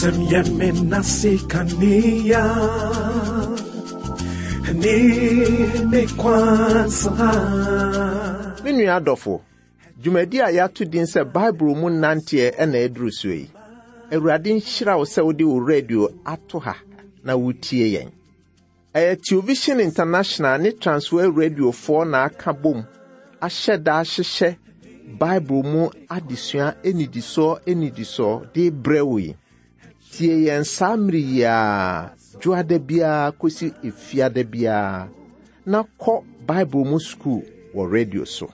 Wasɛm yɛ me nase kanea ne me kwan so ha. Me nua adɔfo, dwumadi a yɛato din sɛ Bible mu nanteɛ na aduru soɔ yi. Awurade nhyira wo sɛ wode wo radio ato ha na wotie yɛn. Ɛyɛ Television International ne Transworld Radiofoɔ na aka bom ahyɛ da ahyehyɛ Bible mu adesua nnidisoɔ nnidisoɔ de brɛ wo yi. Tie yɛn saa mmere yi ara, dwoada biara kɔsi efiada biara, na kɔ Bible mu sukuu wɔ radio so.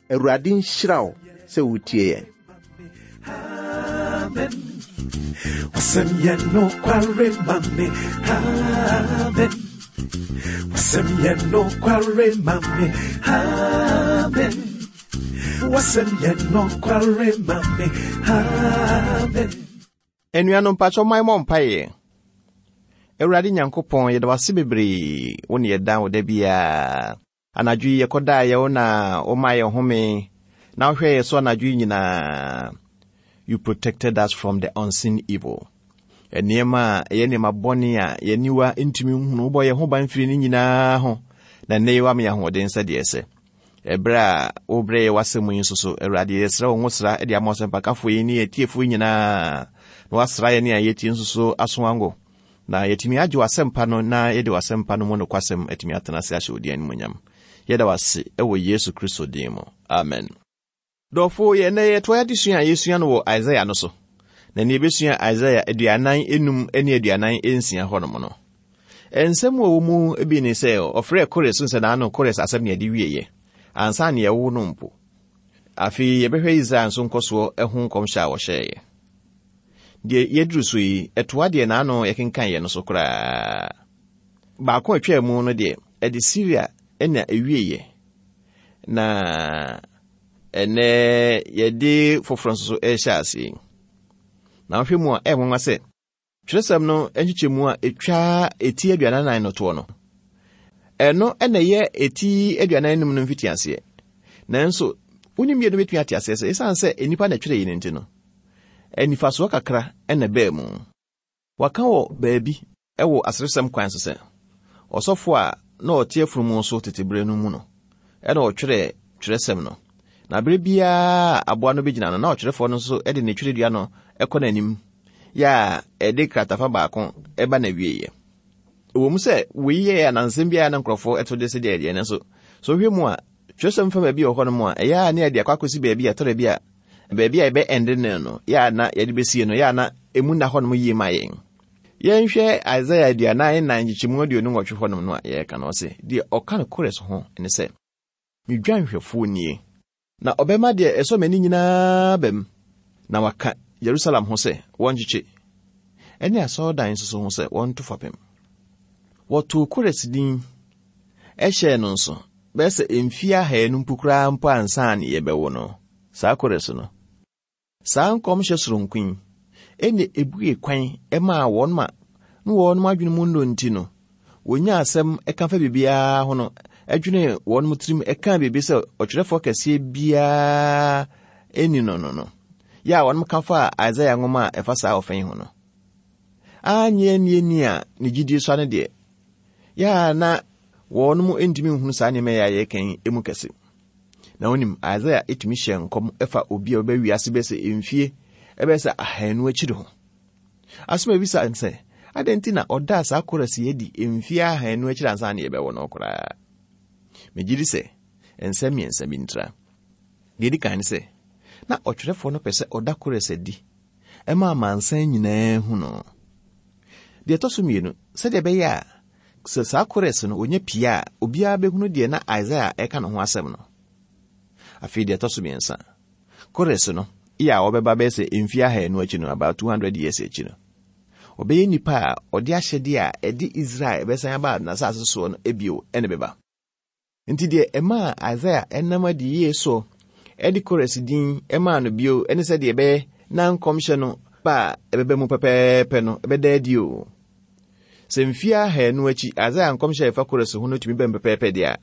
Awurade nhyira wo sɛ wotie yɛn. Amen. Wasɛm yɛ nokware ma me. Amen. Wasɛm yɛ nokware ma me. Amen. Wasɛm yɛ nokware ma me. Amen. Anuanom mpakyɛ ɔman mɔ mpaeɛ. Awurade Nyankopɔn yɛda wase bebree wo ne yɛda wo da biara. Anadwo yi yɛkɔdaeɛ wo na womaa yɛn home na wohwɛɛ yɛ so anadwo yi nyinaa. You protected us from the unseen evil. Nneɛma a ɛyɛ nneɛma bɔne a yɛn aniwa ntumi nhunu wobɔ yɛn ho ban firi ne nyinaa ho na nnɛ yi woama yɛn ahoɔden sɛdeɛ ɛsɛ. Ɛberɛ a wobrɛ yɛ w'asɛm yi nso so, Awurade yɛsrɛ wo nwosra de ama ɔsɛmpakafoɔ yi ne yɛn atiefoɔ nyinaa na woasra yɛn ne a yɛtie nso so aso ango. Na yɛatumi agye w'asɛmpa no na yɛde w'asɛmpa no mu nokwasɛm atumi atena ase ahyɛ wo din animuonyam. Yɛda wo ase wɔ Yesu Kristo din mu. Amen. Dɔfo, yɛn nnɛ yɛtoa adesua a yɛsua no wɔ Isaia no so. Na nea yɛbɛsua Isaia aduanan enum ne aduanan nsia hɔnom no. Nsɛm a ɛwɔ mu bi ne sɛ ɔfrɛɛ Kores sɛ n'ano Kores asɛm na yɛde wieɛ ansa na yɛwo no mpo. Afei yɛbɛhwɛ Israel nso nkɔsoɔ ho nkɔmhyɛ a wɔhyɛeɛ. Deɛ yɛaduru so yi, ɛtoa deɛ n'ano yɛkenkan yɛ no so koraa. Baako a ɛtwaa mu no deɛ, ɛde Syria na ɛwieɛ. Na ɛnɛ yɛde foforɔ nso so ɛrehyɛ aseɛ yi. Na wohwɛ mu a, ɛyɛ nwanwa sɛ twerɛsɛm no nkyekyɛmu a ɛtwa eti aduanan no toɔ no, ɛno na ɛyɛ eti aduanan num no mfitiaseɛ. Nanso, wonim mmienu bɛtumi ate aseɛ sɛ ɛsiane sɛ nnipa na ɛtwerɛ yi no nti no, anifasoɔ kakra na ɛbaa mu. Wɔaka wɔ baabi wɔ aseresɛm kwan so sɛ, ɔsɔfo a na ɔte afunumu so tete bere no mu no na ɔtwerɛɛ twerɛsɛm no, na bere biara a aboa no bɛgyina no, na ɔtwerɛfoɔ no nso de ne twerɛdua no kɔ n'anim yɛ a ɛde kratafa baako ba n'awieeɛ. Ɛwɔ mu sɛ wei yɛ anansɛm bi a na nkurɔfoɔ to de sɛ deɛ ɛdeɛ, nanso sɛ wohwɛ mu a, twerɛsɛm fa baabi wɔ hɔnom a, ɛyɛ a ne yɛde akɔ akɔsi baabi a ɛtɔ da bi a baabi a yɛbɛ ɛnde no no, yɛ a na yɛde bɛsie no, yɛ a na emu nna hɔnom yie ma yɛn. Yɛnhwɛ Isaia aduanan nnan nkyekyɛmu aduonu nwɔtwe hɔnom no a yɛreka no, ɔse, deɛ ɔka no Kores ho ne sɛ, Me dwanhwɛfoɔ nie, na ɔbɛma deɛ ɛsɔ m'ani nyinaa aba mu, na waka Yerusalem ho sɛ, Wɔnkyekye, ɛne asɔredan nso so ho sɛ, Wɔnto fapem. Wɔtoo Kores din hyɛɛ no nso bɛyɛ sɛ mfeɛ ahanu mpo koraa mpo ansa na yɛbɛwo no. Saa Kores no. Saa nkɔmhyɛ soronko yi na ebue kwan maa wɔn ma na wɔn adwene mu nnɔ nti no, wɔnya asɛm ka fa biribiara ho no, dwene wɔn tirim ka biribi sɛ ɔtwerɛfoɔ kɛseɛ biara nni no no no, yɛ a wɔn ka faa Isaia nwoma a ɛfa saa ɔfã yi ho no. Anyɛ annie ni a ne gyidie sua no deɛ, yɛ a na wɔn ntumi nhunu saa nneɛma yi a yɛreka yi mu kɛse. Na wonim, Isaia tumi hyɛɛ nkɔm fa obi a ɔbɛba wiase bɛyɛ sɛ mfie ɛbɛyɛ sɛ ahanu akyiri ho. Asɛm a ebisa ne sɛ, adɛn nti na ɔdaa saa Kores yi adi mfie ahanu akyiri ansa na yɛbɛwo no koraa? Megye di sɛ nsɛm mmiɛnsa bi ntira. Deɛ edi kan ne sɛ, na ɔtwerɛfoɔ no pɛ sɛ ɔda Kores adi ma amansan nyinaa hu no. Deɛ ɛtɔ so mmienu, sɛdeɛ ɛbɛyɛ a Sɛ saa Kores no onya pie a, obiara bɛhunu deɛ na Isaia reka ne ho asɛm no. Afei deɛ ɛtɔ so mmiɛnsa, Kores no yɛ a ɔbɛba bɛyɛ sɛ mfeɛ ahanu akyi no, about 200 years akyi no, ɔbɛyɛ nipa a ɔde ahyɛdeɛ a ɛde Israel bɛsan aba n'asase soɔ no bio na ɛbɛba. Enti deɛ ɛmaa Isaia nam adiyie so de Kores din maa no bio ne sɛdeɛ ɛbɛyɛ na nkɔmhyɛ no ba a ɛbɛba mu pɛpɛɛpɛ no bɛda adi o. Sɛ mfeɛ ahanu akyi Isaia nkɔmhyɛ a ɛfa Kores ho no tumi ba mu pɛpɛɛpɛ deɛ a,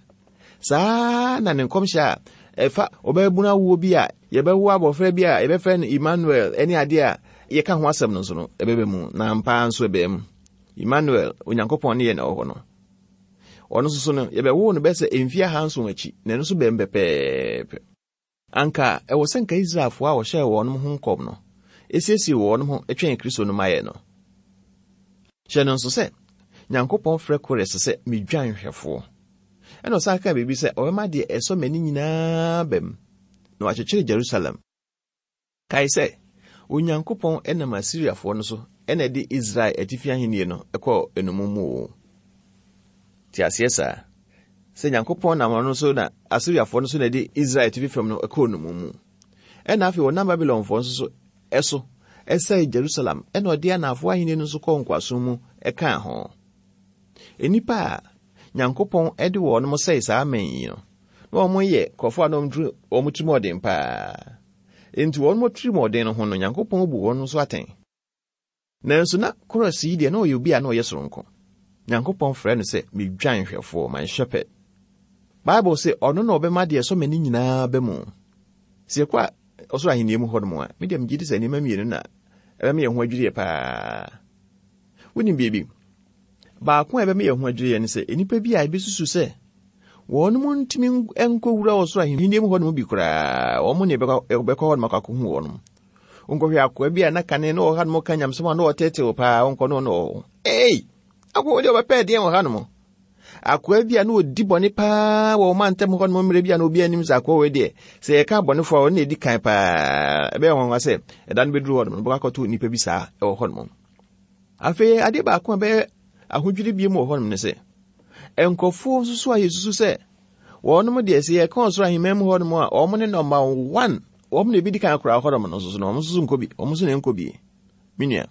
saa na ne nkɔmhyɛ a ɛfa ɔbaabunu awoɔ bi a yɛbɛwo abɔfra bi a yɛbɛfrɛ no Emmanuel ne adeɛ a yɛka ho asɛm no nso no, ɛbɛba mu, na ampa ara nso ɛbaa mu. Emmanuel, Onyankopɔn ne yɛn na ɛwɔ hɔ no. Ɔno nso so no, yɛbɛwoo no bɛyɛ sɛ mfeɛ ahanson akyi, na ɛno nso baa mu pɛpɛɛpɛ. Anka ɛwɔ sɛ nka Israelfoɔ a wɔhyɛɛ wɔn ho nkɔm no siesie wɔn ho twɛn Kristo no mayɛ no. Hyɛ no nso sɛ, Nyankopɔn frɛ Kores sɛ me dwanhwɛfoɔ. Ɛna ɔsan kaa biribi sɛ ɔbɛma deɛ ɛsɔ m'ani nyinaa bam, na wakyekyere Jerusalem. Kae sɛ, Onyankopɔn nam Asiriafoɔ no so na ɛde Israel atifi ahennie no kɔɔ nnommum mu o. Te aseɛ saa? Sɛ Nyankopɔn nam ɔno so na Asiriafoɔ no so na ɛde Israel atifi fam no kɔɔ nnommum mu. Ɛna afei wɔnam Babilonfoɔ nso so ɛso ɛsɛe Jerusalem ɛna ɔde anaafoɔ ahennie no nso kɔɔ nkoasom mu ɛkaa ho. Nnipa a Nyankopɔn de wɔn sɛe saa aman yi no, na wɔn yɛ nkurɔfoɔ a na wɔn tirim ɔden paa. Enti wɔn atirimuɔden no ho no, Nyankopɔn bu wɔn nso atɛn. Nanso na Kores yi deɛ, na ɔyɛ obi a na ɔyɛ soronko. Nyankopɔn frɛ no sɛ me dwanhwɛfoɔ, my shepherd. Bible se ɔno na ɔbɛma deɛ ɛsɔ m'ani nyinaa ba mu. Sɛ yɛkɔ ɔsoro ahenni mu hɔnom a, me deɛ megye di sɛ nneɛma mmienu na ɛbɛma yɛn ho adwiri yɛ paa. Wonim biribi? Baako a ɛbɛma yɛn ho adwiri yɛn ne sɛ nnipa bi a ebesusu sɛ wɔn ntumi nkɔwura ɔsoro ahenni mu hɔ nom bi koraa, wɔn ne ɛbɛkɔ hɔ nom akɔ akɔhu wɔn. Nkɔhwɛ akoa bi a na kane na ɔwɔ ha nom ka nyamesɛm a na ɔtetew paa, ɔnkɔ no na ɔwɔ. Ei! Akoa deɛ ɔbɛpɛ deɛn wɔ ha nom? Akoa bi a na ɔdi bɔne paa wɔ ɔma ntam hɔ nom mmerɛ bi a na obi anim sɛ akoa wei deɛ sɛ yɛka abɔnefoɔ a ɔno na ɛdi kan paa. Ɛbɛyɛ nwanwa sɛ ɛda no bɛduru hɔ nom no bɛkɔ akɔto nnipa bi saa ɛwɔ hɔ nom. Afei adeɛ baako a ɛbɛyɛ ahodwiri bio wɔ hɔnom ne sɛ, nkurɔfoɔ nso so a yɛsusu sɛ wɔnom deɛ sɛ yɛka ɔsoro ahemman mu hɔnom a wɔn ne nɔmba one wɔn na ebi di kan koraa hɔnom no nso so no wɔn nso so nkɔ bi wɔn nso na nkɔ bi me nua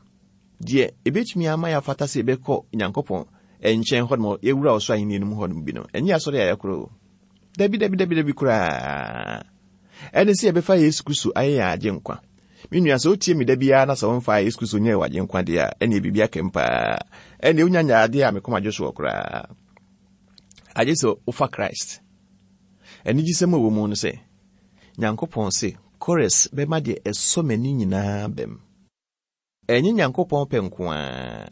deɛ ebetumi ama yɛafata sɛ yɛbɛkɔ nyankopɔn nkyɛn hɔnom yɛwura ɔsoro ahenni no mu hɔnom bi no ɛnyɛ asɔre a yɛkorɔ o dabi dabi dabi dabi koraa Ɛne sɛ yɛbɛfa Yesu Kristo ayɛ yɛn Agyenkwa. Me nua, sɛ wotie me da biara na sɛ womfaa Yesu Kristo nyɛɛ w'Agyenkwa deɛ a, ɛneɛ biribi aka mu paa. Ɛneɛ wonya nyɛ adeɛ a me kɔma dwo soɔ koraa. Agye sɛ wofa Christ. Anigyesɛm a ɛwɔ mu no sɛ, Nyankopɔn se, Kores bɛma deɛ ɛsɔ m'ani nyinaa bam. Ɛnyɛ Nyankopɔn pɛ nko ara,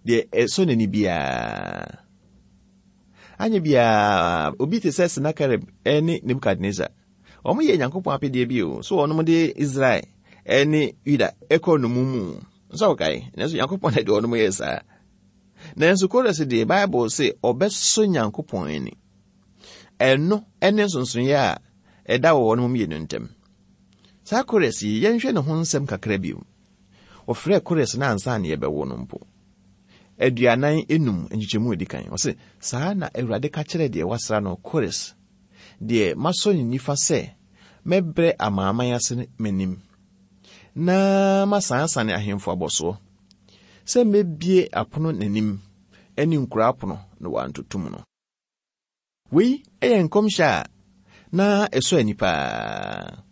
deɛ ɛsɔ n'ani biara. Anyɛ biara, obi te sɛ Senakerib ne Nebukadnesar, wɔyɛɛ Nyankopɔn apɛdeɛ bi o, so wɔnom de Israel ne Yuda kɔɔ nnommum mu. Nso wokae, nanso Nyankopɔn na de wɔnom yɛɛ saa. Nanso Kores deɛ, Bible se ɔbɛsɔ Nyankopɔn ani. Ɛno ne nsonsonoeɛ a ɛda wɔ wɔnom mmienu ntam. Saa Kores yi, yɛnhwɛ ne ho nsɛm kakra bio. Wɔfrɛɛ Kores no ansa na yɛbɛwo no mpo. 45 nkyekyɛmu a ɛdi kan, ɔse, Saa na Awurade ka kyerɛ deɛ wasra no, Kores, deɛ masɔ ne nifa sɛ mɛbrɛ amanaman ase m'anim, na masanesane ahemfo abɔsoɔ, sɛ mɛbue apono n'anim ne nkuro apono na wɔantoto mu no. Wei yɛ nkɔmhyɛ a na ɛsɔ ani paa.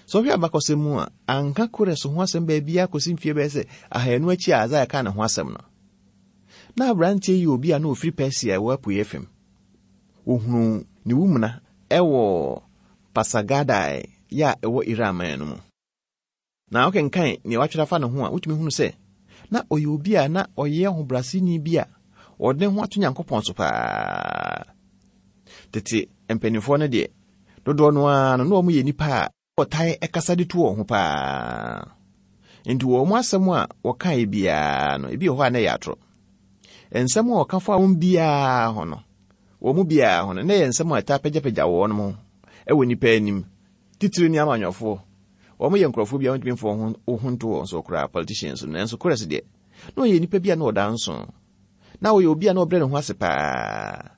Sɛ wohwɛ abakɔsɛm mu a, anka Kores ho asɛm baabiara kɔsi mfeɛ bɛyɛ sɛ ahanu akyi a Isaiah kaa ne ho asɛm no. Na aberanteɛ yi yɛ obi a na ɔfiri Persia a ɛwɔ apueeɛ fam. Wɔhunuu ne wumena wɔ Pasargadae yɛ a ɛwɔ Iran man no mu. Na wokenkan nea wɔatwerɛ afa ne ho a, wotumi hunu sɛ na ɔyɛ obi a na ɔyɛ ɔhobrɛaseni bi a ɔde ne ho ato Nyankopɔn so paa. Tete mpanimfoɔ no deɛ, dodoɔ no ara no, na wɔyɛ nnipa a wɔtae kasa de tu wɔn ho paa. Nti wɔn asɛm a wɔkaeɛ biara no, ebi wɔ hɔ a na ɛyɛ atorɔ. Nsɛm a wɔka fa wɔn biara ho no, wɔn mu biara ho no, na ɛyɛ nsɛm a ɛtaa pagyapagya wɔn ho wɔ nnipa anim, titiriw ne amanyɔfoɔ. Wɔn yɛ nkurɔfoɔ bi a wontumi mfa wɔn ho nto wɔn so koraa, politicians no. Nanso Kores deɛ, na ɔyɛ nipa bi a na ɔda nso. Na ɔyɛ obi a na ɔbrɛ ne ho ase paa.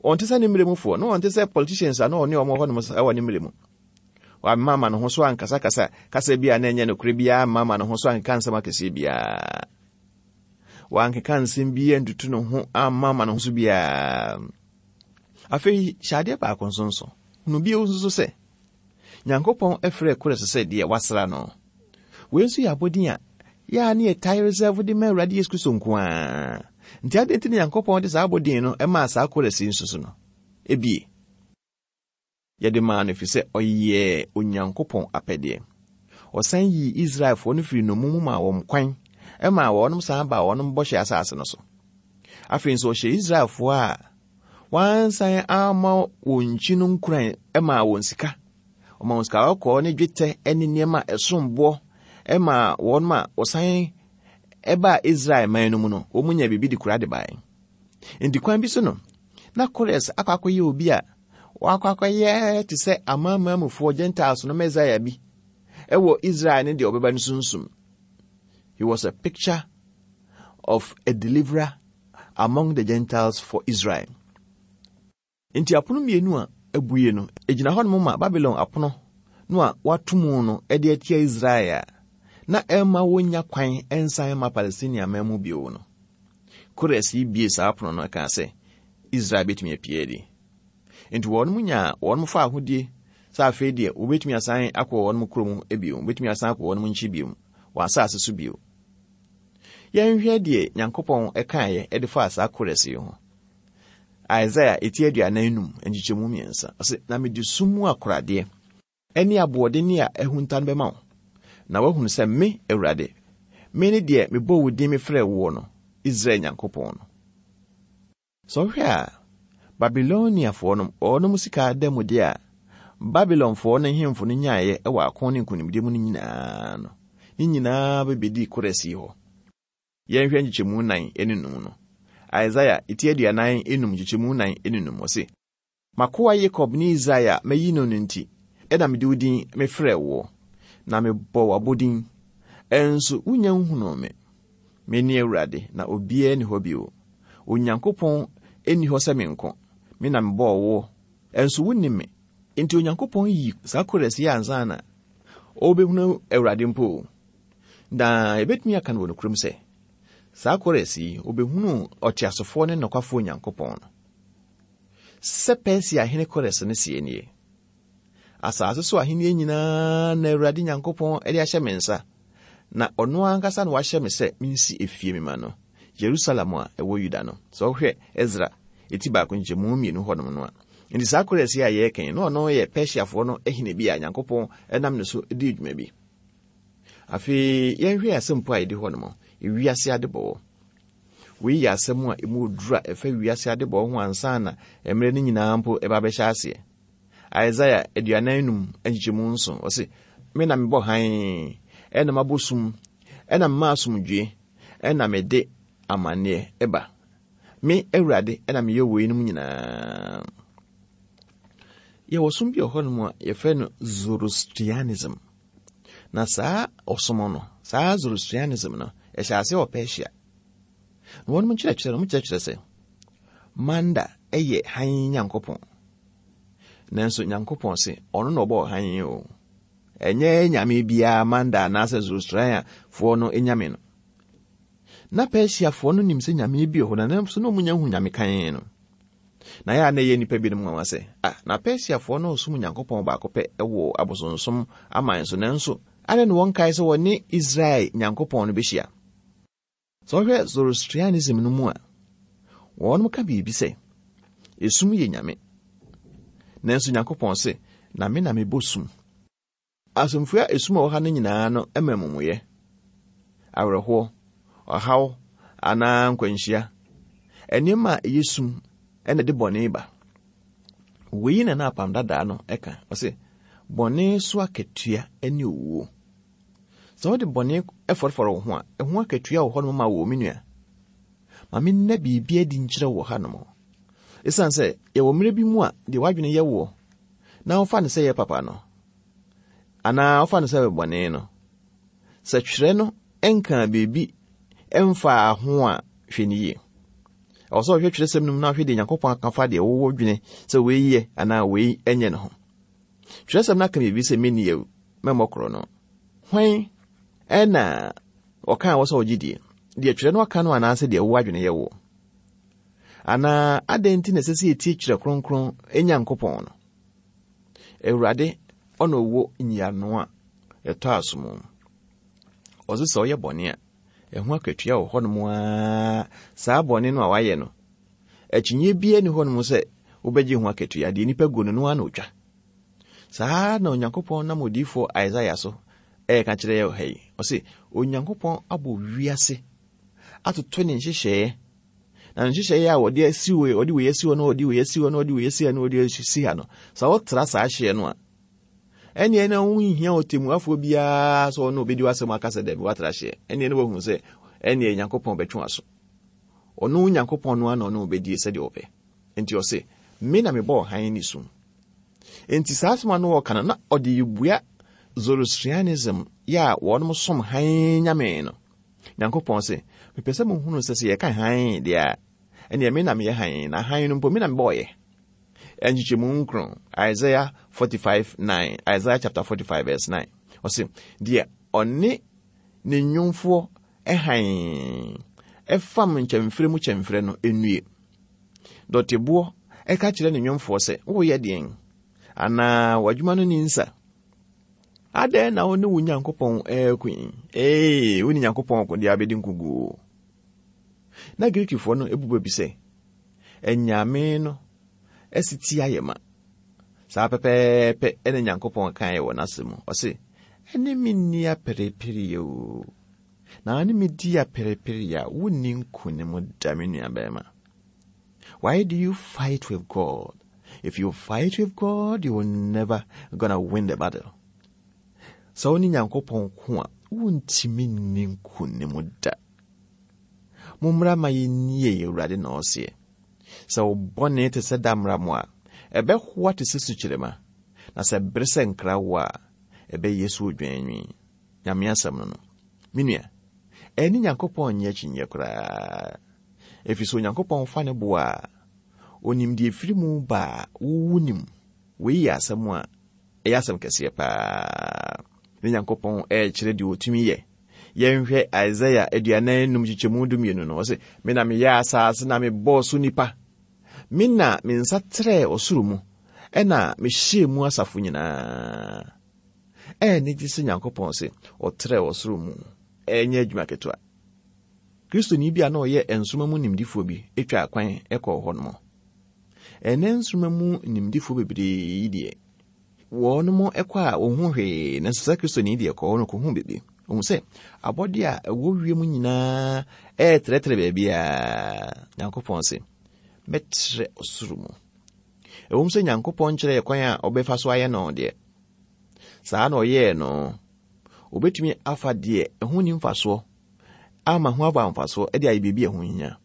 Ɔnte sɛ ne mmerɛ mufoɔ, na ɔnte sɛ politicians a na ɔne wɔn wɔ hɔnom wɔ ne mmerɛ mu. Wamma ama ne ho so ankasakasa kasa bi a na ɛnyɛ nokorɛ biara, amma ama ne ho so ankeka nsɛm akɛseɛ biara. Wankeka nsɛm bi antutu ne ho amma ama ne ho so biara. Afei hyɛ adeɛ baako nso nso. Hunu bio nso sɛ, Nyankopɔn frɛɛ Kores sɛ deɛ wasra no. Wei nso yɛ abɔdin a yɛ a ne yɛtae reserve de ma Awurade Yesu Kristo nko ara. Nti adɛn nti na Nyankopɔn de saa abɔdin no maa saa Kores yi nso so no? Ebie, yɛde maa no ɛfiri sɛ ɔyɛɛ Onyankopɔn apɛdeɛ. Ɔsan yii Israelfoɔ no firii nnommum mu maa wɔn kwan maa wɔnom san baa wɔnom bɔhyɛ asase no so. Afei nso ɔhyɛɛ Israelfoɔ a wɔansan amma wɔn nkyi no nkuran maa wɔn sika. Ɔmaa wɔn sika kɔkɔɔ ne dwetɛ ne nneɛma a ɛsom boɔ maa wɔn a wɔsan baa Israel man no mu no, wɔn nya biribi de kura de bae. Nti kwan bi so no, na Kores akɔ akɔyɛ obi a wakɔ akɔyɛ te sɛ amanamanmufoɔ Gentiles no Messiah bi ɛwɔ Israel ne deɛ ɔbɛba no sunsum. He was a picture of a deliverer among the Gentiles for Israel. Enti apono mmienu a abue no, egyina hɔnom ma Babilon apono no a wɔato mu no de atia Israel a na ɛmma wonnya kwan nsan mma Palestina man mu bio no. Kores yi bue saa apono no kaa sɛ Israel betumi apue adi. Enti wɔnom nyaa wɔnom faahodie sɛ afei deɛ wobetumi asan akɔ wɔnom kurom bio, wobetumi asan akɔ wɔnom nkyi bio, wɔn asase so bio. Yɛnhwɛ deɛ Nyankopɔn kaeɛ de faa saa Kores yi ho. Isaiah eti 45 nkyekyɛmu mmiɛnsa, ɔse, Na mede sum mu akoradeɛ ne aboɔdenne a ahunta no bɛma wo, na woahunu sɛ me, Awurade, me ne deɛ mebɔɔ wo din mefrɛɛ woɔ no, Israel Nyankopɔn no. Sɛ wohwɛ a, Babiloniafoɔ no, wɔnom sika adanmudeɛ a Babilonfoɔ no nhemfo no nyaeɛ wɔ ako ne nkonimdie mu no nyinaa no, ne nyinaa bɛbɛdii Kores yi hɔ. Yɛnhwɛ nkyekyɛmu nnan ne num no. Isaiah ti 45 nkyekyɛmu nnan ne num, ɔse, M'akoa Yakob ne Israel a mayi no no nti na mede wo din mefrɛɛ woɔ, na mebɔ wo abodin, nso wonnya nhunuu me. Mene Awurade, na obiara nni hɔ bio. Onyankopɔn nni hɔ sɛ me nko, me na mebɔɔ woɔ, nso wonnim me. Enti Onyankopɔn yii saa Kores yi ansa na ɔrebɛhunu Awurade mpo o. Na yɛbɛtumi aka no wɔ nokorɛm sɛ, saa Kores yi, ɔbɛhunuu ɔteasefoɔ ne nokwafoɔ Nyankopɔn no. Sɛ Persia hene Kores no seɛ nie, Asase so ahennie nyinaa na Awurade Nyankopɔn de ahyɛ me nsa, na ɔno ankasa na wahyɛ me sɛ mensi efie mema no, Yerusalem a ɛwɔ Yuda no. Sɛ wohwɛ Esra eti baako nkyɛmu mmienu hɔnom no a, nti saa Kores yi a yɛreka yi, na ɔno yɛ Persiafoɔ no hene bi a Nyankopɔn nam ne so dii dwuma bi. Afei yɛnhwɛ asɛmpo a ɛdi hɔ nom, wiase adebɔwɔ. Wei yɛ asɛm a emu oduru a ɛfa wiase adebɔwɔ ho ansa na mmerɛ no nyinaa mpo ɛba bɛhyɛ aseɛ. Isaiah 45 nkyekyɛmu nson, ɔse, Me na mebɔ hann, ɛna mabɔ sum, ɛna mema asomdwoe, ɛna mede amanneɛ ɛba. Me Awurade ɛna meyɛ weinom nyinaa. Yɛwɔ som bi wɔ hɔnom a yɛfrɛ no Zoroastrianism. Na saa ɔsom no, saa Zoroastrianism no, ɛhyɛ ase wɔ Persia. Na wɔn nkyerɛkyerɛ no, wɔkyerɛkyerɛ sɛ Manda yɛ hann Nyankopɔn. Nanso Nyankopɔn se ɔno na ɔbɔɔ hann o. Ɛnyɛ nyame biara Manda anaasɛ Zoroastrianfoɔ no nyame no. Na Persiafoɔ no nim sɛ nyame bi wɔ hɔ, na nanso na wɔn nya hu nyame kann no. Na ɛyɛ a na ɛyɛ nnipa binom nwanwa sɛ, ah, na Persiafoɔ no resom Onyankopɔn baako pɛ wɔ abosonsom aman so, nanso adɛn na wɔnkae sɛ wɔne Israel Nyankopɔn no bɛhyia? Sɛ wohwɛ Zoroastrianism no mu a, wɔnom ka biribi sɛ, esum yɛ nyame. Nanso Nyankopɔn se, na me na mebɔ sum. Asɛmfua esum a ɛwɔ ha no nyinaa no ma amumuyɛ, awerɛhoɔ, ɔhaw anaa nkwanhyia. Nneɛma a ɛyɛ sum na ɛde bɔne ba. Wei na na apam dadaa no ka. Ɔse, bɔne so akatua ne owuo. Sɛ wode bɔne fɔrefɔre wo ho a, ɛho akatua wɔ hɔnom ma wo, me nua. Ma menna biribi adi nkyerɛ wɔ hanom. Esiane sɛ yɛwɔ mmerɛ bi mu a deɛ w'adwene yɛ woɔ na wofa no sɛ ɛyɛ papa no, anaa wofa no sɛ ɛyɛ bɔne no, sɛ twerɛ no nkaa biribi mfaa ho a, hwɛ no yie. Ɛwɔ sɛ ɔhwɛ twerɛsɛm no mu na ɔhwɛ deɛ Nyankopɔn aka fa deɛ wowɔ dwene sɛ wei yɛ anaa wei nyɛ no ho. Twerɛsɛm no aka biribi sɛ menni awu, mɛmmɔ korɔ no. Hwan ɛna ɔkaa wɔ sɛ ɔgye die? Deɛ twerɛ no aka no anaasɛ deɛ wowɔ adwene yɛ woɔ? Anaa adɛn nti na ɛsɛ sɛ yɛtie Twerɛ Kronkron Nyankopɔn no? Awurade ɔna ɔwɔ nyiano a ɛtɔ asom. Ɔse sɛ ɔyɛ bɔne a, ɛho akatua wɔ hɔnom ara. Saa bɔne no a wayɛ no, akyinnye biara nni hɔnom sɛ wobɛgye ho akatua. Deɛ nipa gu no no ara na ɔtwa. Saa na Onyankopɔn nam odiyifoɔ Isaiah so ɛreka kyerɛ yɛ wɔ ha yi. Ɔse, Onyankopɔn abɔ wiase atoto ne nhyehyɛeɛ. Na ne nhyehyɛeɛ a wɔde asi wei, ɔde wei asi hɔ na ɔde wei asi hɔ na ɔde wei asi ha na ɔde asi ha no, sɛ wotra saa hyeɛ no a, ɛnneɛ na wonhia ɔtɛmmuafoɔ biara sɛ ɔno ɔbɛdi w'asɛm aka sɛ dabi woatra hyeɛ. Ɛnneɛ na wahu sɛ ɛnneɛ Nyankopɔn bɛtwe w'aso. Ɔno Nyankopɔn no ara na ɔne ɔbɛdie sɛdeɛ ɔpɛ. Enti ɔse, Me na mebɔɔ hann ne sum. Enti saa asɛm a na ɔreka no, na ɔde rebua Zoroastrianism yɛ a wɔnom som hann nyame no. Nyankopɔn se, Mepɛ sɛ mohunu sɛ sɛ yɛka hann deɛ a, ɛneɛ me na meyɛ hann, na hann no mpo me na mebɔɔyɛ. Nkyekyɛmu nkron, Isaiah 45 9, Isaiah chapter 45 verse 9. Ɔse, deɛ ɔne ne nnwomfoɔ hann ɛfam nkyɛmferɛ mu kyɛmferɛ no nnue. Dɔteboɔ ka kyerɛ ne nwemfoɔ sɛ, Woreyɛ deɛn? Anaa w'adwuma no nni nsa? Adɛn na wo ne wo Nyankopɔn reko yi? Ee, wo ne Nyankopɔn ko deɛ abɛdi nkoguo. Na Greekfoɔ no bu bɛ bi sɛ, Anyame no asiti ayɛ ma. Saa pɛpɛɛpɛ na Nyankopɔn kaeɛ wɔ n'asɛm mu. Ɔse, Ɛne me nni aperepereɛ o. Na ne me di aperepereɛ a, wonni nkonim da, me nuabarima. Why do you fight with God? If you fight with God, you will never gonna win the battle. Sɛ wo ne Nyankopɔn ko a, wontumi nni nkonim da. Mommra ma yɛnnie Awurade na ɔseɛ. Sɛ wo bɔne te sɛ damramo a, ɛbɛhoa te sɛ sukyerɛma, na sɛ bere sɛ nkrawoɔ a, ɛbɛyɛ sɛ odwanwi. Nyame asɛm no no. Me nua, ɛne Nyankopɔn nyɛ akyinnyeɛ koraa. Ɛfiri sɛ Onyankopɔn fa ne bo a, ɔnim deɛ ɛfiri mu ba a wo wonim. Wei yɛ asɛm a ɛyɛ asɛm kɛseɛ paa. Ne Nyankopɔn ɛrekyerɛ deɛ ɔtumi yɛ. Yɛnhwɛ Isaiah 45 kyekyɛmu 12 no, ɔse, Me na meyɛɛ asaase na mebɔɔ so nipa. Me na me nsa trɛɛ ɔsoro mu, ɛna mehyɛɛ mu asafo nyinaa. Ɛyɛ anigye sɛ Nyankopɔn se ɔtrɛɛ ɔsoro mu. Ɛnyɛ adwuma ketewa. Kristoni bi a na ɔyɛ nsoromma mu nimdefoɔ bi twaa kwan kɔɔ hɔnom. Ɛnnɛ nsoromma mu nimdefoɔ bebree yi deɛ, wɔnom kɔ a wɔnhu hwee, nanso saa Kristoni deɛ kɔɔ hɔ no kɔhuu biribi. Ɔhu sɛ abɔdeɛ a ɛwɔ wiem nyinaa ɛretrɛtrɛ baabiara. Nyankopɔn se, mɛtrɛ ɔsoro mu. Ɛwom sɛ Nyankopɔn nkyerɛ yɛ kwan a ɔbɛfa so ayɛ no deɛ, saa na ɔyɛɛ no. Obetumi afa deɛ ɛho nni mfasoɔ ama ho aba mfasoɔ de ayɛ biribi a ɛho hia.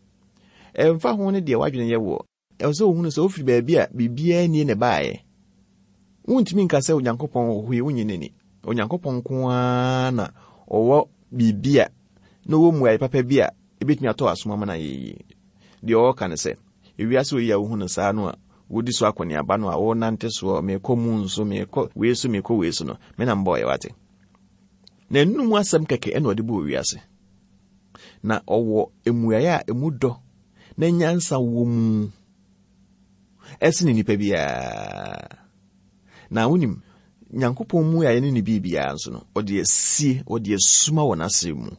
Ɛmfa ho ne deɛ w'adwene yɛ woɔ, ɛwɔ sɛ wohunu sɛ wofiri baabi a biribiara nnie na ɛbaeɛ. Wontumi nka sɛ Onyankopɔn wɔ hɔ yi, wonnye no nni. Onyankopɔn nko ara na ɔwɔ biribi a na ɔwɔ mmuaeɛ papa bi a ɛbɛtumi atɔ asom ama no ayɛ yie. Deɛ ɔreka ne sɛ, ewiase wei a wohu no saa no a wodi so akɔneaba no a wonante soɔ, merekɔ moon so, merekɔ wei so, merekɔ wei so no, me na mebɔeɛ wate. Na ɛno mu asɛm kɛkɛ ɛna ɔde bɔɔ wiase. Na ɔwɔ mmuaeɛ a emu dɔ na nyansa wɔ mu ɛsene nipa biara. Na wonim, Nyankopɔn mmuaeɛ ne ne biribiara nso no, ɔde asie, ɔde asuma wɔ n'asɛm mu.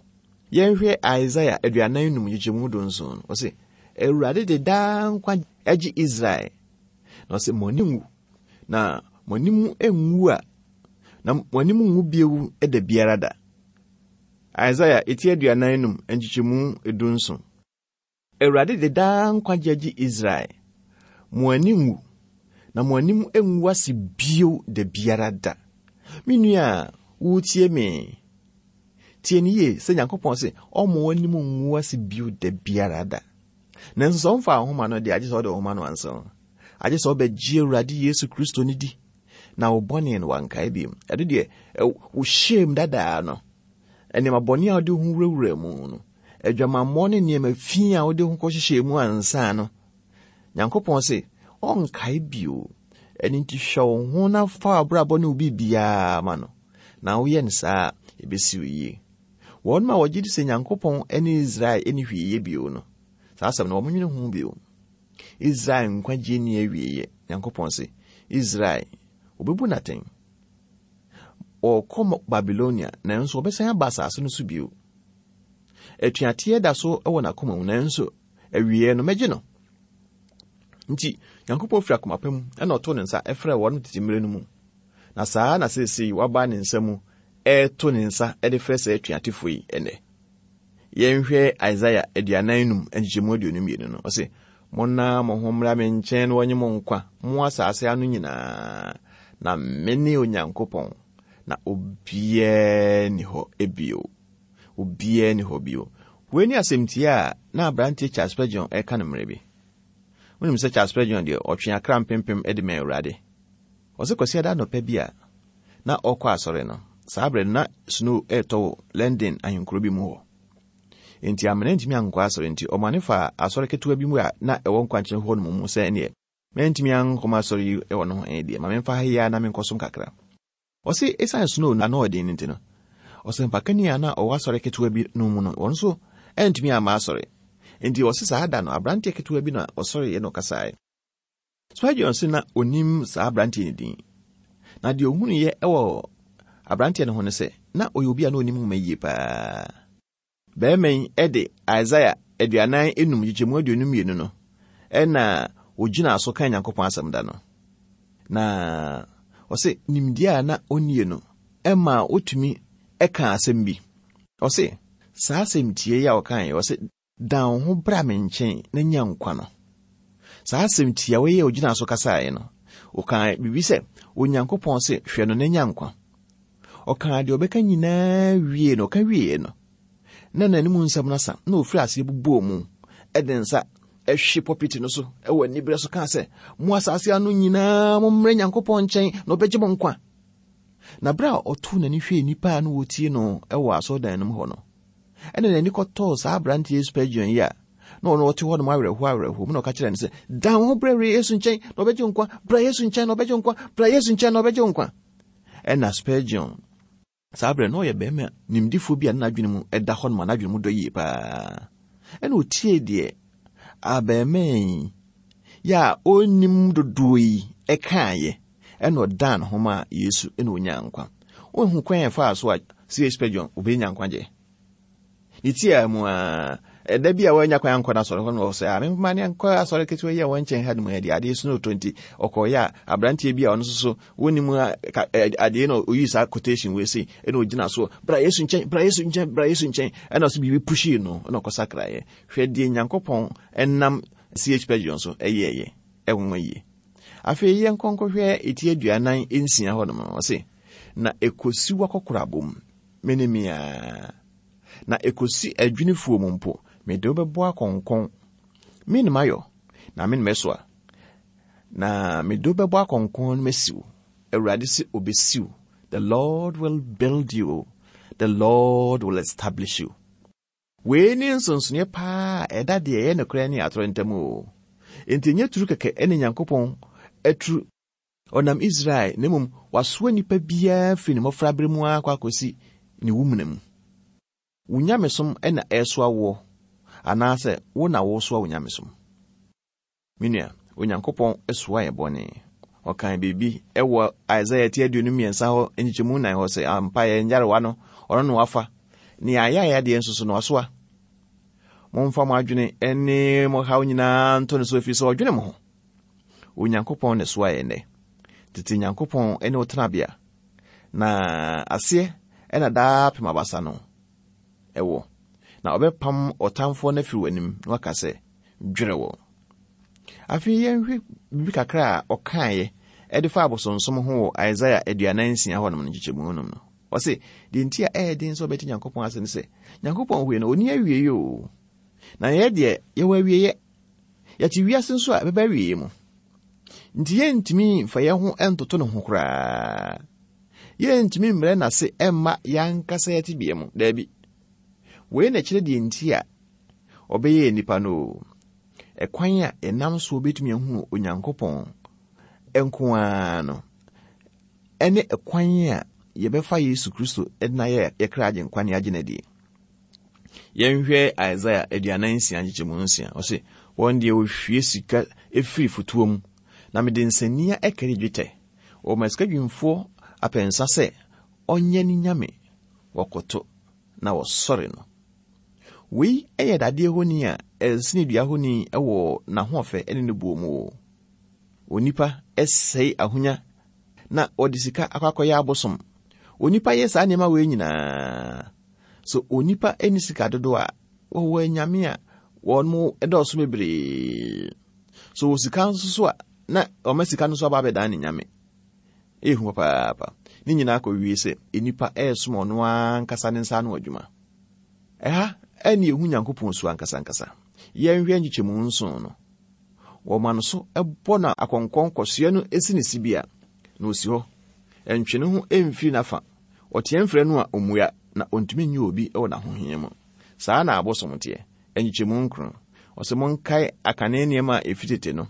Yɛnhwɛ Isaiah 45 nkyekyɛmu 17 no, ɔse, Awurade de daa nkwa agye Israel. Na ɔse, mo ani nwu, na mo anim nwu a, na mo anim nwu bio da biara da. Isaiah eti 45 nkyekyɛmu 17. Awurade de daa nkwagye agye Israel. Mo ani nwu, na mo anim ngu ase bio da biara da. Me nua a woretie me, tie no yie sɛ Nyankopɔn se ɔmma w'anim ngu ase bio da biara da. Nanso sɛ ɔmfa wo ho ma no deɛ, agye sɛ ɔde wo ho ma no ansa. Agye sɛ ɔbɛgye Awurade Yesu Kristo no di, na wo bɔne no wankae bio. Ɛno deɛ, wo shame dadaa no, nneɛma bɔne a wode wo ho wurawura mu no, adwamammɔ ne nneɛma fi a wode ho kɔhyehyɛɛ mu ansa no, Nyankopɔn se ɔnkae bio. Ɛno nti hwɛ wo ho na fa w'abrabɔ ne wo biribiara ma no, na woyɛ no saa a, ebesi wo yie. Wɔn a wɔgye di sɛ Nyankopɔn ne Israel nni hwee yɛ bio no, saa asɛm no wɔnwene ho bio. Israel nkwagye nni awieeɛ. Nyankopɔn se, Israel, wɔbɛbu no atɛn. Wɔrekɔ Babilonia, nanso wɔbɛsan aba asase no so bio. Atuateɛ da so wɔ n'akoma mu, nanso awieɛ no mɛgye no. Nti, Nyankopɔn firi akoma pa mu na ɔtoo ne nsa frɛɛ wɔn tete mmerɛ no mu. Na saa na seesei waba ne nsa mu ɛreto ne nsa de frɛ saa atuatefoɔ yi ɛnnɛ. Yɛnhwɛ Isaiah 45 nkyekyɛmu 22 no. Ɔse, Monna mo ho mmra me nkyɛn na wɔnye mo nkwa, mo asase ano nyinaa, na mene Onyankopɔn, na obiara nni hɔ bio. Obiara nni hɔ bio. Wei ne asɛmti a na aberanteɛ Charles Spurgeon ɛreka no mmerɛ bi. Wonim sɛ Charles Spurgeon deɛ ɔtwe akra mpempem de ma Awurade. Ɔse Kwasiada anɔpa bi a na ɔrekɔ asɔre no, saa berɛ no na snow retɔ wɔ London ahenkuro bi mu hɔ. Enti amena ntumi ankɔ asɔre nti ɔmane faa asɔre ketewa bi mu a na ɛwɔ nkwankyɛn hɔ nom mu sɛ ɛneɛ mantumi ankɔ m'asɔre yi wɔ no ho deɛ ma memfa ha yi ara na menkɔsom kakra. Ɔse esiane snow no ano ɔden no nti no, ɔsɛmpakani a na ɔwɔ asɔre ketewa bi no mu no, ɔno nso antumi amma asɔre. Enti ɔse saa da no, aberanteɛ ketewa bi na ɔsɔreeɛ na ɔkasaeɛ. Spurgeon se na onim saa aberanteɛ no din. Na deɛ ɔhunuiɛ wɔ aberanteɛ no ho ne sɛ, na ɔyɛ obi a na ɔnim nwoma yie paa. Barima yi de Isaiah 45 nkyekyɛmu 22 no na ɔgyinaa so kaa Nyankopɔn asɛm da no. Na ɔse nimdeɛ a na ɔnnie no maa ɔtumi kaa asɛm bi. Ɔse saa asɛm tie yi a ɔkaeɛ, ɔse Dan wo ho bra me nkyɛn na nya nkwa no. Saa asɛm tiawa yi a ogyinaa so kasaeɛ no, ɔkaa biribi sɛ, Onyankopɔn se, hwɛ no na nya nkwa. Ɔkaa deɛ ɔbɛka nyinaa wie no, ɔka wieɛ no, na n'anim nsɛm no asa, na ɔfiri aseɛ bobɔɔ mu, de nsa hwe pɔpiti no so wɔ aniberɛ so kaa sɛ, Mo asase ano nyinaa mommrɛ Nyankopɔn nkyɛn na ɔbɛgye mo nkwa. Na berɛ a ɔtoo n'ani hwɛɛ nnipa a na wɔtie no wɔ asɔredan no mu hɔ no, ɛna n'ani kɔtɔɔ saa aberanteɛ Spurgeon yi a na ɔno ɔte hɔ nom awerɛhoɔ awerɛhoɔ mu na ɔka kyerɛ no sɛ dan wo ho brɛ Yesu nkyɛn na ɔbɛgye nkwa, bra Yesu nkyɛn na ɔbɛgye nkwa, bra Yesu nkyɛn na ɔbɛgye nkwa. Ɛna Spurgeon saa berɛ na ɔyɛ barima nimdifoɔ bi a na n'adwene mu ɛda hɔ nom a n'adwene mu dɔ yie paa. Ɛna ɔtiee deɛ abarimaa yi yɛ a ɔnnim dodoɔ yi ɛkaeɛ ɛna ɔdan ne ho maa Yesu ɛna ɔnyaa nkwa. Wohu kwan a ɛfaa so a C.H. Spurgeon ɔbɛnya nkwagyeɛ? Ne tiaa mu a, ɛda bi a wanya kwan ankɔ n'asɔre hɔ no ɔsɛ a memma ne nkɔ asɔre ketewa yi a wɔn nkyɛn ha no mu deɛ adeɛ snow tɔ nti ɔkɔɔyɛ a aberanteɛ bi a ɔno nso so wɔnim adeɛ na ɔyi saa quotation wei sei ɛna ɔgyina so bra Yesu nkyɛn, bra Yesu nkyɛn, bra Yesu nkyɛn, ɛna ɔsɛ biribi pushii no ɛna ɔkɔsakraeɛ. Hwɛ deɛ Nyankopɔn ɛnam C.H. Spurgeon so ɛyɛɛyɛ, ɛnwanwa yie. Afei yɛnkɔ nkɔhwɛ eti 46 hɔ nom. Ɔse, na ekosi w'akɔkorabɔ mu, me ne me ara. Na ekosi adwinifoɔ mu mpo, mede wo bɛbɔ akɔnkɔn. Me ne mayɔ, na me ne mɛsoa. Na mede wo bɛbɔ akɔnkɔn no masi wo. Awurade se obesi wo. The Lord will build you. The Lord will establish you. Wei ne nsonsonoeɛ paa a ɛda deɛ ɛyɛ nokorɛ ne atorɔ ntam o. Enti ɛnyɛ turu kɛkɛ ne Nyankopɔn aturu ɔnam Israel na mmom wasoa nnipa biara firi ne mmɔfraberɛ mu ara kɔ akɔsi ne wu mena mu. Wo nyamesom na ɛresoa woɔ anaasɛ wo na woresoa wo nyamesom? Me nua, Onyankopɔn soa yɛn bɔne. Ɔkaa biribi wɔ Isaiah ti 23 hɔ nkyekyɛmu 4 hɔ sɛ, ampa yɛn nyarewa no, ɔno na wafa, ne yɛn ayayadeɛ nso so no wasoa. Momfa mo adwene ne mo haw nyinaa nto ne so ɛfiri sɛ ɔdwene mo ho. Onyankopɔn na ɛsoa yɛn nnɛ. Tete Nyankopɔn ne wo tenabea, na aseɛ ɛna daa pem abasa no ɛwɔ. Na ɔbɛpam ɔtamfoɔ no afiri w'anim na waka sɛ, dwerɛ wɔn. Afei yɛnhwɛ biribi kakra a ɔkaeɛ ɛde fa abosonsom ho wɔ Isaiah 46 hɔnom no nkyekyɛmu nom no. Ɔse, deɛ nti a ɛyɛ den sɛ ɔbɛte Nyankopɔn ase ne sɛ, Nyankopɔn hwee no, ɔnni awieeɛ o. Na yɛ deɛ, yɛwɔ awieeɛ. Yɛte wiase nso a ɛbɛba awieeɛ mu. Nti yɛntumi mfa yɛn ho ntoto ne ho koraa. Yɛntumi mmerɛ n'ase mma yɛn ankasa yɛn tebea mu. Daabi. Wei na ɛkyerɛ deɛ nti a ɔbɛyɛɛ nnipa no o. Ɛkwan a yɛnam soɔ bɛtumi ahunu Onyankopɔn nko ara no, ɛne ɛkwan a yɛbɛfa Yesu Kristo de no ayɛ yɛ kra agyenkwa ne agye no adie. Yɛnhwɛ Isaiah 46 nkyekyɛmu 6. Ɔse, wɔn deɛ wɔhwie sika firi fotoɔ mu, na mede nsania ɛkari dwetɛ. Wɔma sikadwumfoɔ apɛnsa sɛ ɔnyɛ ne nyame, wɔkoto na wɔsɔre no. Wei yɛ dadeɛ honi a ɛsene dua honi wɔ n'ahoɔfɛ ne ne buo mu o. Onipa sɛe ahonya na ɔde sika akɔ akɔyɛ abosom. Onipa yɛ saa nneɛma wei nyinaa. So onipa nni sika dodoɔ a, wɔwɔ anyame a wɔn mo dɔɔso bebree. So wɔ sika nso so a, na wɔma sika no nso aba abɛdan ne nyame. Ɛyɛ hu papaapa. Ne nyinaa kɔwie sɛ nnipa ɛresom ɔno ankasa ne nsa ano adwuma. Ɛha ɛne ɛhu Nyankopɔn su ankasa ankasa. Yɛnhwɛ nkyekyɛmu nson no. Wɔma no so bɔ no akɔnkɔn kɔsoɛ no si ne sibea, na osi hɔ. Ɛntwe ne ho mfiri n'afa. Ɔteɛm frɛ no a, ommua, na ontumi nnye obi wɔ n'ahohia mu. Saa na abosom teɛ. Nkyekyɛmu nkron. Ɔse, Monkae akane nneɛma a efi tete no,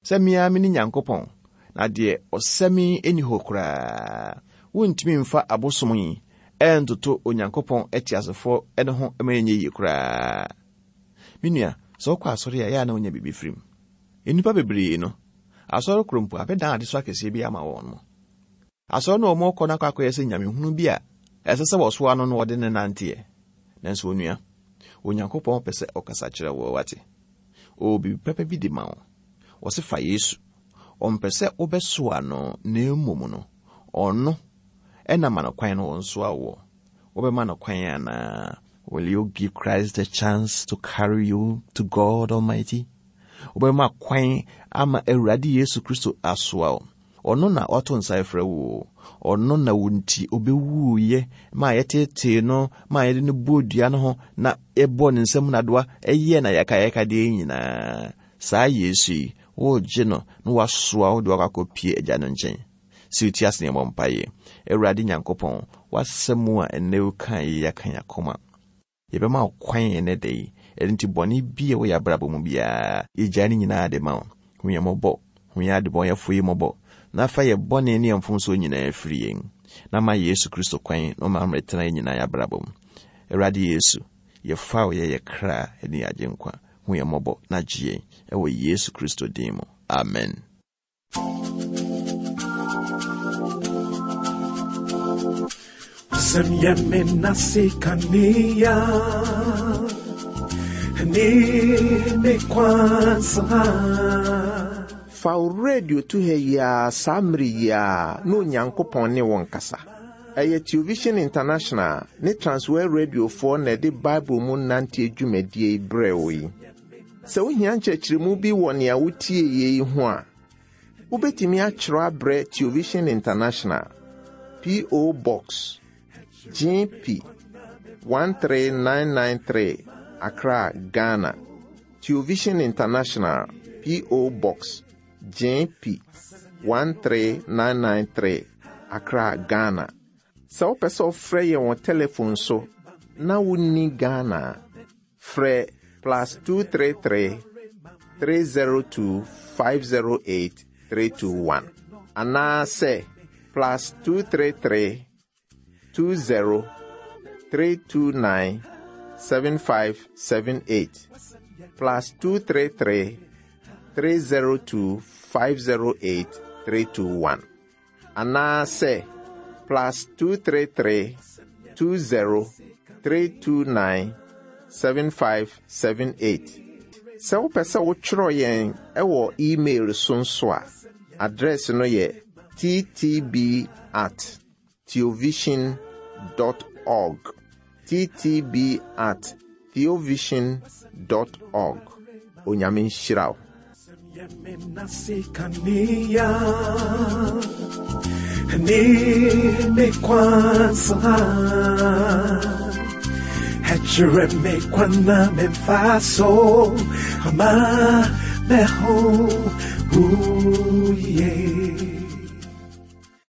sɛ me ara mene Nyankopɔn, na deɛ ɔsɛ me nni hɔ koraa. Wontumi mfa abosom yi ntoto Onyankopɔn teasefoɔ no ho ma ɛnyɛ yie koraa. Me nua, sɛ wokɔ asɔre a, ɛyɛ a na wonya biribi firi mu. Nnipa bebree no, asɔre koro mpo abɛdan adesoa kɛseɛ bi ama wɔn mo. Asɔre no a wɔkɔ no akɔ akɔyɛ sɛ nyamehunu bi a ɛsɛ sɛ wɔsoa no na wɔde no nanteɛ. Nanso onua, Onyankopɔn pɛ sɛ ɔkasa kyerɛ wo, wate? Ɔwɔ biribi pɛpɛ bi de ma wo. Ɔse fa Yesu. Ɔmpɛ sɛ wobɛsoa no na mmom no, ɔno na ma no kwan na ɔnsoa woɔ. Wobɛma no kwan anaa? Will you give Christ the chance to carry you to God Almighty? Wobɛma kwan ama Awurade Yesu Kristo asoa wo. Ɔno na wato nsa afrɛ wo. Ɔno na wo nti obewuiɛ ma yɛtetee no ma yɛde no bɔɔ dua no ho na yɛbɔɔ ne nsam nadoa ɛyɛɛ na yɛkayɛkadeɛ nyinaa. Saa Yesu yi, woregye no na wasoa wo de wakɔ akɔpie Agya no nkyɛn. Sɛ wotie ase na yɛmmɔ mpaeɛ. Awurade Nyankopɔn, w'asɛm a ɛnnɛ wokae yi aka yɛn akoma. Yɛbɛma wo kwan ɛnnɛ da yi. Ɛno nti bɔne bi a ɛwɔ yɛn abrabɔ mu biara, yɛgyae ne nyinaa de ma wo. Hu yɛn mmɔbɔ. Hu yɛn adebɔnyɛfoɔ yi mmɔbɔ, na fa yɛn bɔne ne yɛn mfomsoɔ nyinaa firi yɛn, na ma Yesu Kristo kwan na ɔmma mmetena yɛn nyinaa yɛn abrabɔ mu. Awurade Yesu, yɛfa wo yɛ yɛn kra ne yɛn Agyenkwa. Hu yɛn mmɔbɔ na gye yɛn, ɛwɔ Yesu Kristo din mu. Amen. Sɛm yɛ me nase kanea ne me kwansa. Fa wo radio to ha yi ara saa mmere yi ara na Onyankopɔn ne wo nkasa. Ɛyɛ Television International ne Transworld Radiofoɔ na ɛde Bible mu nanteɛ dwumadie yi brɛɛ wo yi. Sɛ wohia nkyerɛkyerɛmu bi wɔ nea wotieeɛ yi ho a, wobɛtumi atwerɛ abrɛ Television International, P.O. Box, GP 13993, Accra, Ghana. Television International, P.O. Box, GP 13993, Accra, Ghana. Sɛ wopɛ sɛ wofrɛ yɛn wɔ telefon so na wonni Ghana a, frɛ plus 233 302 508 321 anaasɛ plus 233 20 329 7578 plus 233 302 508 321 anaasɛ plus 233 20 329 7578. Sɛ wopɛ sɛ wotwerɛ yɛn wɔ email so nso a, address no yɛ ttb at theovision dot org. ttb at theovision dot org. Onyame nhyira wo.